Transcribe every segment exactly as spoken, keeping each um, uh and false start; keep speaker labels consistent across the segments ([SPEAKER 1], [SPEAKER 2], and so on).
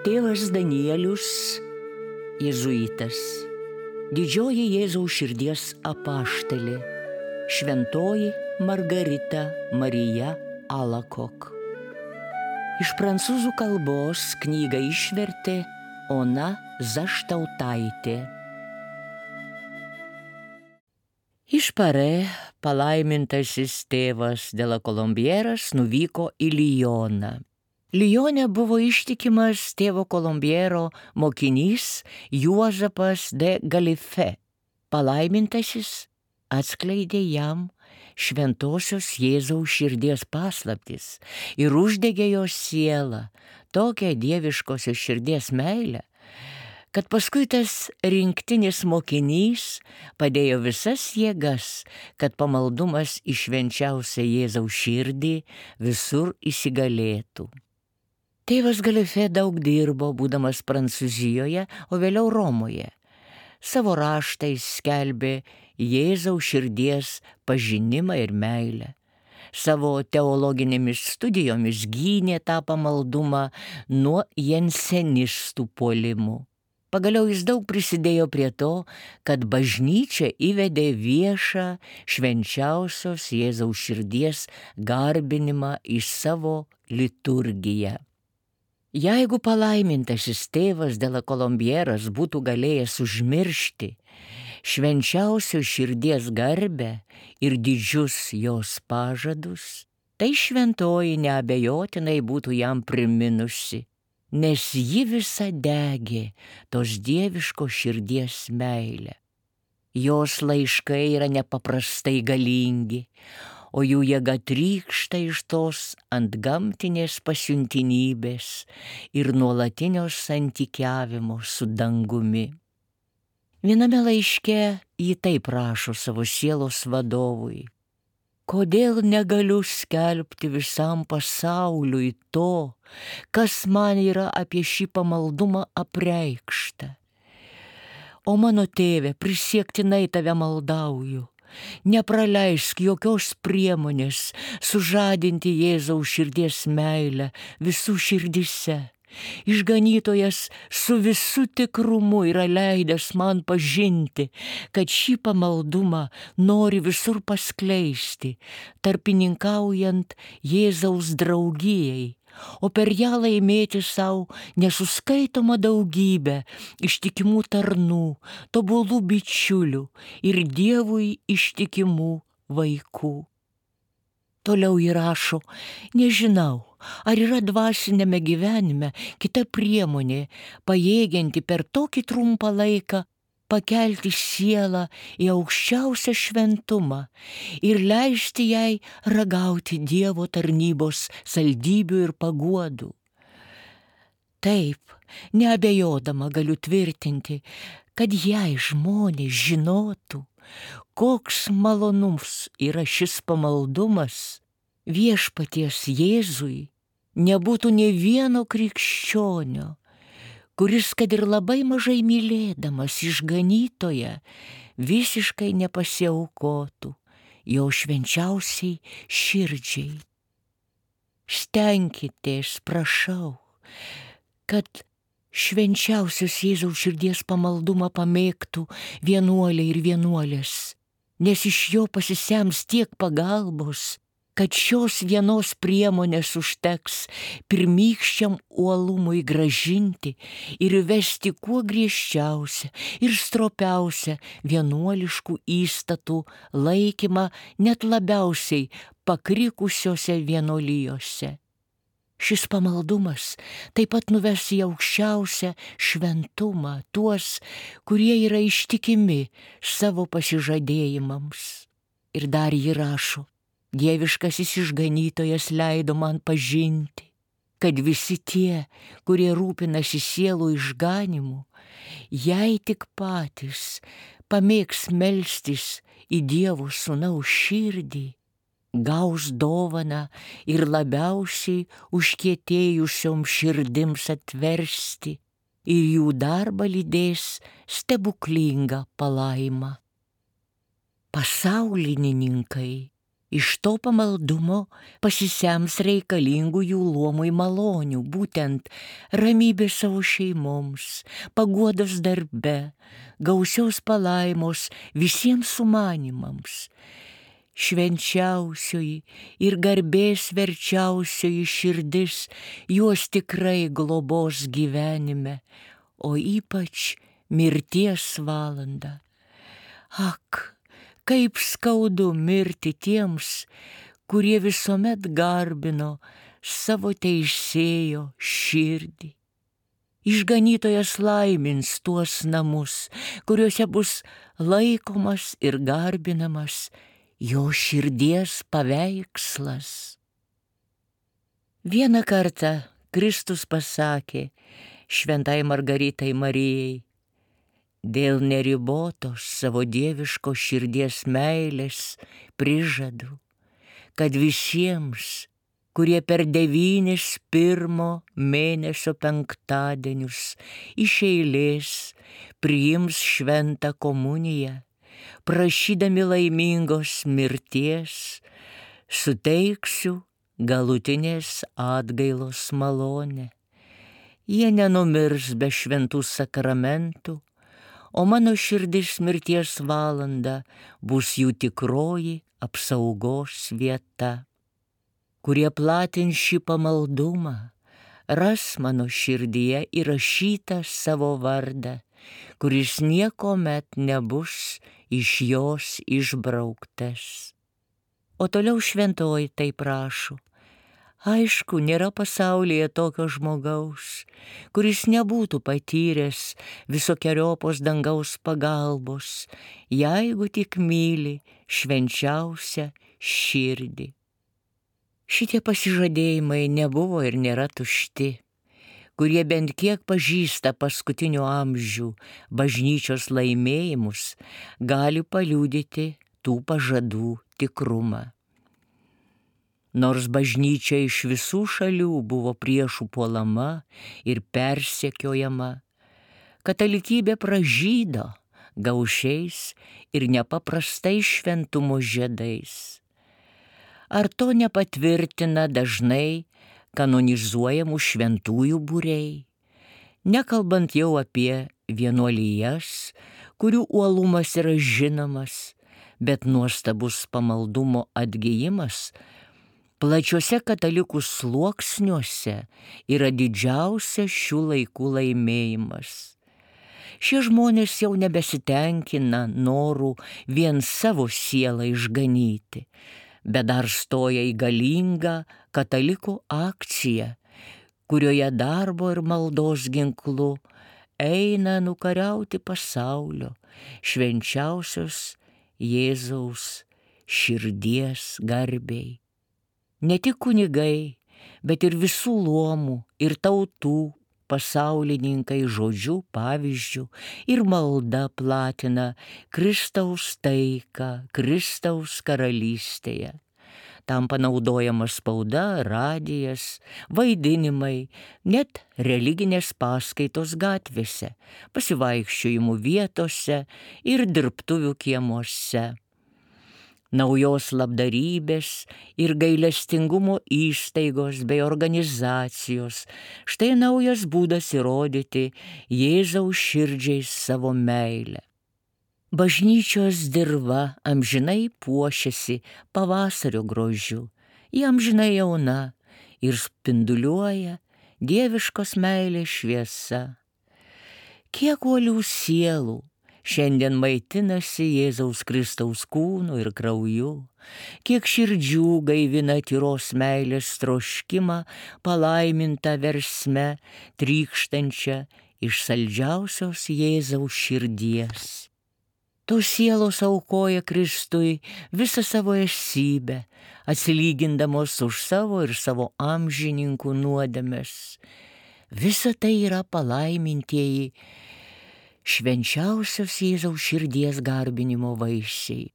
[SPEAKER 1] Tėvas Danielius, jėzuitas, didžioji Jėzaus širdies apaštalė, šventoji Margarita Marija Alakok. Iš prancūzų kalbos knygą išvertė Ona Zaštautaitė. Iš Parė palaimintasis tėvas de la Kolombieras nuvyko į Lyoną. Lyone buvo ištikimas tėvo Kolombiero mokinys Juozapas de Galife. Palaimintasis atskleidė jam šventosios Jėzaus širdies paslaptis ir uždegė jo sielą tokią dieviškosios širdies meilę, kad paskui tas rinktinis mokinys padėjo visas jėgas, kad pamaldumas į švenčiausią Jėzaus širdį visur įsigalėtų. Tėvas Galife daug dirbo, būdamas Prancūzijoje, o vėliau Romoje. Savo raštais skelbė Jėzaus širdies pažinimą ir meilę. Savo teologinėmis studijomis gynė tą pamaldumą nuo jensenistų puolimų. Pagaliau jis daug prisidėjo prie to, kad bažnyčia įvedė viešą švenčiausios Jėzaus širdies garbinimą į savo liturgiją. Jeigu palaimintasis tėvas de la Kolombieras būtų galėjęs užmiršti švenčiausios širdies garbę ir didžius jos pažadus, tai šventoji neabejotinai būtų jam priminusi, nes ji visa degė tos dieviškos širdies meilę. Jos laiškai yra nepaprastai galingi, o jų jėga trykšta iš tos antgamtinės pasiuntinybės ir nuolatinio santykiavimo su dangumi. Viename laiške ji taip rašo savo sielos vadovui: kodėl negaliu skelbti visam pasauliui to, kas man yra apie šį pamaldumą apreikšta. O mano tėve, prisiektinai tave maldauju, nepraleisk jokios priemonės sužadinti Jėzaus širdies meilę visų širdyse. Išganytojas su visu tikrumu yra leidęs man pažinti, kad šį pamaldumą nori visur paskleisti, tarpininkaujant Jėzaus draugijai, o per ją laimėti savo nesuskaitomą daugybę ištikimų tarnų, tobulų bičiulių ir Dievui ištikimų vaikų. Toliau įrašo: nežinau, ar yra dvasinėme gyvenime kita priemonė, pajėgianti per tokį trumpą laiką pakelti sielą į aukščiausią šventumą ir leisti jai ragauti Dievo tarnybos saldybių ir paguodų. Taip, neabejodama galiu tvirtinti, kad jei žmonės žinotų, koks malonus yra šis pamaldumas, viešpaties Jėzui nebūtų nė vieno krikščionio, kuris, kad ir labai mažai mylėdamas išganytoją, visiškai nepasiaukotų jo švenčiausiai širdžiai. Stenkitės, prašau, kad švenčiausios Jėzaus širdies pamaldumą pamėgtų vienuoliai ir vienuolės, nes iš jo pasisems tiek pagalbos, kad šios vienos priemonės užteks pirmykščiam uolumui gražinti ir vesti kuo griežčiausią ir stropiausią vienuoliškų įstatų laikymą net labiausiai pakrikusiose vienuolijose. Šis pamaldumas taip pat nuves į aukščiausią šventumą tuos, kurie yra ištikimi savo pasižadėjimams. Ir dar ji rašo: dieviškasis išganytojas leido man pažinti, kad visi tie, kurie rūpinasi sielų išganimu, jei tik patys pamėgs melstis į Dievo sūnaus širdį, gaus dovaną ir labiausiai užkietėjusiom širdims atversti, ir jų darbą lydės stebuklinga palaima. Pasaulininkai Iš to pamaldumo pasisems reikalingų jų luomui malonių, būtent ramybė savo šeimoms, paguodos darbe, gausios palaimos visiems sumanimams. Švenčiausioji ir garbės verčiausioji širdis juos tikrai globos gyvenime, o ypač mirties valandą. Ak, kaip skaudu mirti tiems, kurie visuomet garbino savo teisėjo širdį. Išganytojas laimins tuos namus, kuriuose bus laikomas ir garbinamas jo širdies paveikslas. Vieną kartą Kristus pasakė šventai Margaritai Marijai: dėl neribotos savo dieviško širdies meilės prižadu, kad visiems, kurie per devynis pirmo mėnesio penktadienius iš eilės priims šventą komuniją, prašydami laimingos mirties, suteiksiu galutinės atgailos malonę. Jie nenumirs be šventų sakramentų, o mano širdis mirties valanda bus jų tikroji apsaugos vieta. Kurie platins šį pamaldumą, ras mano širdyje įrašytą savo vardą, kuris niekuomet nebus iš jos išbrauktas. O toliau šventoji taip prašo: aišku, nėra pasaulyje tokio žmogaus, kuris nebūtų patyręs visokeriopos dangaus pagalbos, jeigu tik myli švenčiausią širdį. Šitie pasižadėjimai nebuvo ir nėra tušti. Kurie bent kiek pažįsta paskutinių amžių bažnyčios laimėjimus, gali paliudyti tų pažadų tikrumą. Nors bažnyčia iš visų šalių buvo priešų puolama ir persekiojama, katalikybė pražydo gaušiais ir nepaprastai šventumo žiedais. Ar to nepatvirtina dažnai kanonizuojamų šventųjų būriai, nekalbant jau apie vienuolijas, kurių uolumas yra žinomas, bet nuostabus pamaldumo atgijimas plačiuose katalikų sluoksniuose yra didžiausias šių laikų laimėjimas. Šie žmonės jau nebesitenkina norų vien savo sielą išganyti, bet dar stoja į galingą katalikų akciją, kurioje darbo ir maldos ginklu eina nukariauti pasaulio švenčiausios Jėzaus širdies garbei. Ne tik kunigai, bet ir visų luomų ir tautų pasaulininkai žodžiu, pavyzdžiu ir malda platina Kristaus taiką Kristaus karalystėje. Tam panaudojama spauda, radijas, vaidinimai, net religinės paskaitos gatvėse, pasivaikščiojimų vietose ir dirbtuvių kiemuose. Naujos labdarybės ir gailestingumo įstaigos bei organizacijos. Štai naujas būdas įrodyti Jėzaus širdžiai savo meilę. Bažnyčios dirva amžinai puošiasi pavasario grožiu, ji amžinai jauna ir spinduliuoja dieviškos meilės šviesa. Kiek uolių sielų šiandien maitinasi Jėzaus Kristaus kūnu ir krauju, kiek širdžių gaivina tyros meilės troškimą palaimintą versme, trykštančią iš saldžiausios Jėzaus širdies. Tos sielos aukoja Kristui visą savo esybę, atsilygindamos už savo ir savo amžininkų nuodėmes. Visa tai yra palaimintieji švenčiausios Jėzaus širdies garbinimo vaisiai.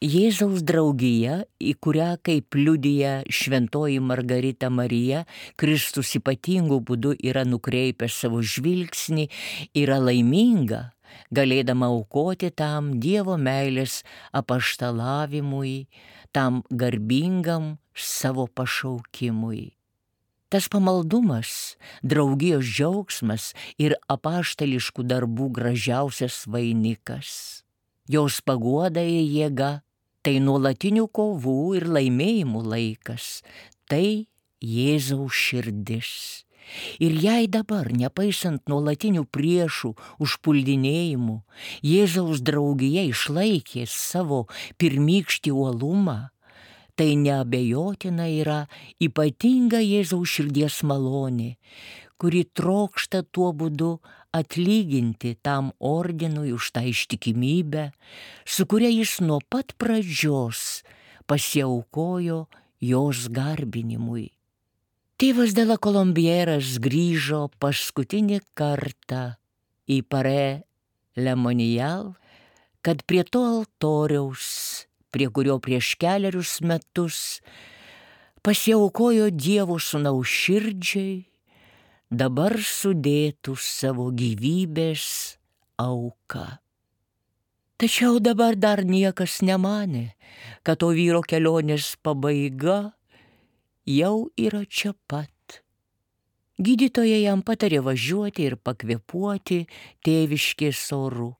[SPEAKER 1] Jėzaus draugija, į kurią, kaip liudija šventoji Margarita Marija, Kristus ypatingų būdų yra nukreipęs savo žvilgsnį, yra laiminga, galėdama aukoti tam Dievo meilės apaštalavimui, tam garbingam savo pašaukimui. Tas pamaldumas, draugijos džiaugsmas ir apaštališkų darbų gražiausias vainikas. Jos paguoda ir jėga — tai nuolatinių kovų ir laimėjimų laikas, tai Jėzaus širdis. Ir jei dabar, nepaisant nuolatinių priešų užpuldinėjimų, Jėzaus draugija išlaikė savo pirmykštį uolumą, tai neabejotina yra ypatinga Jėzaus širdies malonė, kuri trokšta tuo būdu atlyginti tam ordinui už tą ištikimybę, su kuria jis nuo pat pradžios pasiaukojo jos garbinimui. Tėvas de la Colombieras grįžo paskutinį kartą į Paré Le Monial, kad prie to altoriaus, prie kurio prieš kelerius metus pasiaukojo Dievo sūnaus širdžiai, dabar sudėtų savo gyvybės auką. Tačiau dabar dar niekas nemanė, kad to vyro kelionės pabaiga jau yra čia pat. Gydytojai jam patarė važiuoti ir pakvėpuoti tėviškės oru.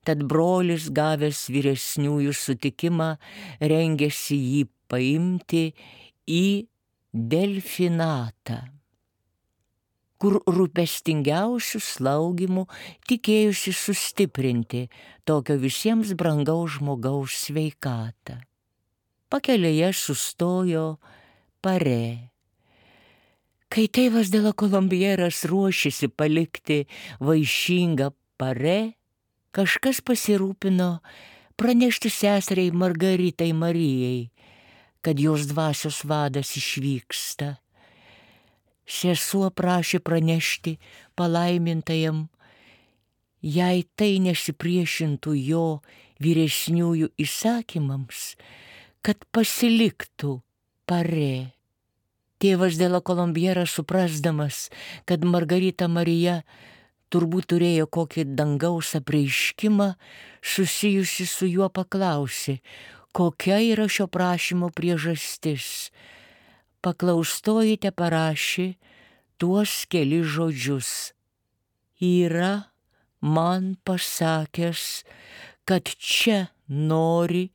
[SPEAKER 1] Tad brolis, gavęs vyresniųjų sutikimą, rengėsi jį paimti į delfinatą, kur rūpestingiausių slaugimų tikėjusi sustiprinti tokio visiems brangaus žmogaus sveikatą. Pakelėje sustojo Paré. Kai tėvas de la Colombieras ruošėsi palikti vaišingą Paré, kažkas pasirūpino pranešti seseriai Margaritai Marijai, kad jos dvasios vadas išvyksta. Sesuo prašė pranešti palaimintajam, jei tai nesipriešintų jo vyresniųjų įsakymams, kad pasiliktų Paré. Tėvas de la Colombieras, suprasdamas, kad Margarita Marija turbūt turėjo kokį dangaus apreiškimą, susijusi su juo paklausė, kokia yra šio prašymo priežastis. Paklaustoji teparašė tuos kelis žodžius. Yra man pasakęs, kad čia nori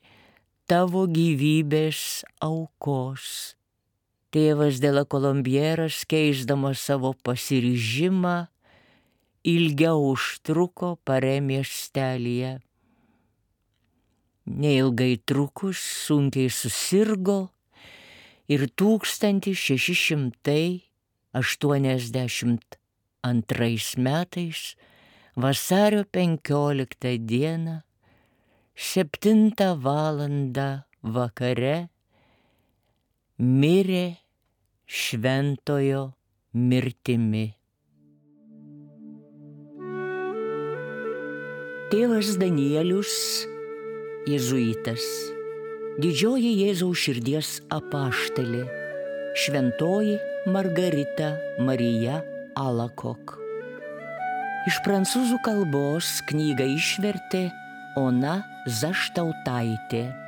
[SPEAKER 1] tavo gyvybės aukos. Tėvas de la Colombieras, keisdamas savo pasiryžimą, ilgiau užtruko Paré miestelyje. Neilgai trukus sunkiai susirgo ir tūkstantis šeši šimtai aštuoniasdešimt antrais metais vasario penkioliktą dieną septintą valandą vakare mirė šventojo mirtimi. Tėvas Danielius, jėzuitas, didžioji Jėzaus širdies apaštalė, šventoji Margarita Marija Alacoque. Iš prancūzų kalbos knygą išvertė Ona Zaštautaitė.